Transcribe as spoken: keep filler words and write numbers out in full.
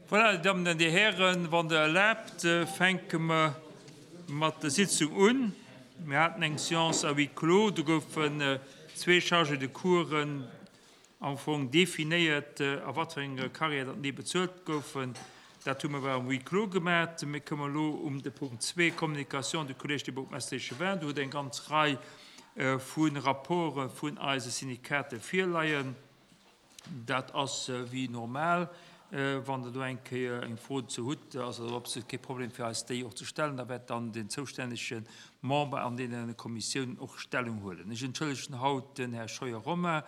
Voilà, Dir Dammen an Dir Hären, wann Der erlaabt, fänke mer mat der Sitzung un. Mir haten eng Séance à huis clos, do goufen zwee Chargés de coursen am Fong definéiert, a wat fir enger Carrière datt déi bezuelt goufen. Dat hu mer awer am huis clos gemaat. Mir kommen elo um de Punkt zwee, Communication du Collège des bourgmestres et échevins. Do huet eng ganz Rei vu Rapporte vun eise Syndikater virleien. Dat ass wéi normal. Wann Der do eng Kéier eng Fro dozou hutt, ass dat absolut kee Problem fir eis, déi och ze stellen. Da wäert dann den zoustännege Member an deene Kommissiounen och Stellung huelen. Ech entschëllegen haut den Här Scheuer Romain.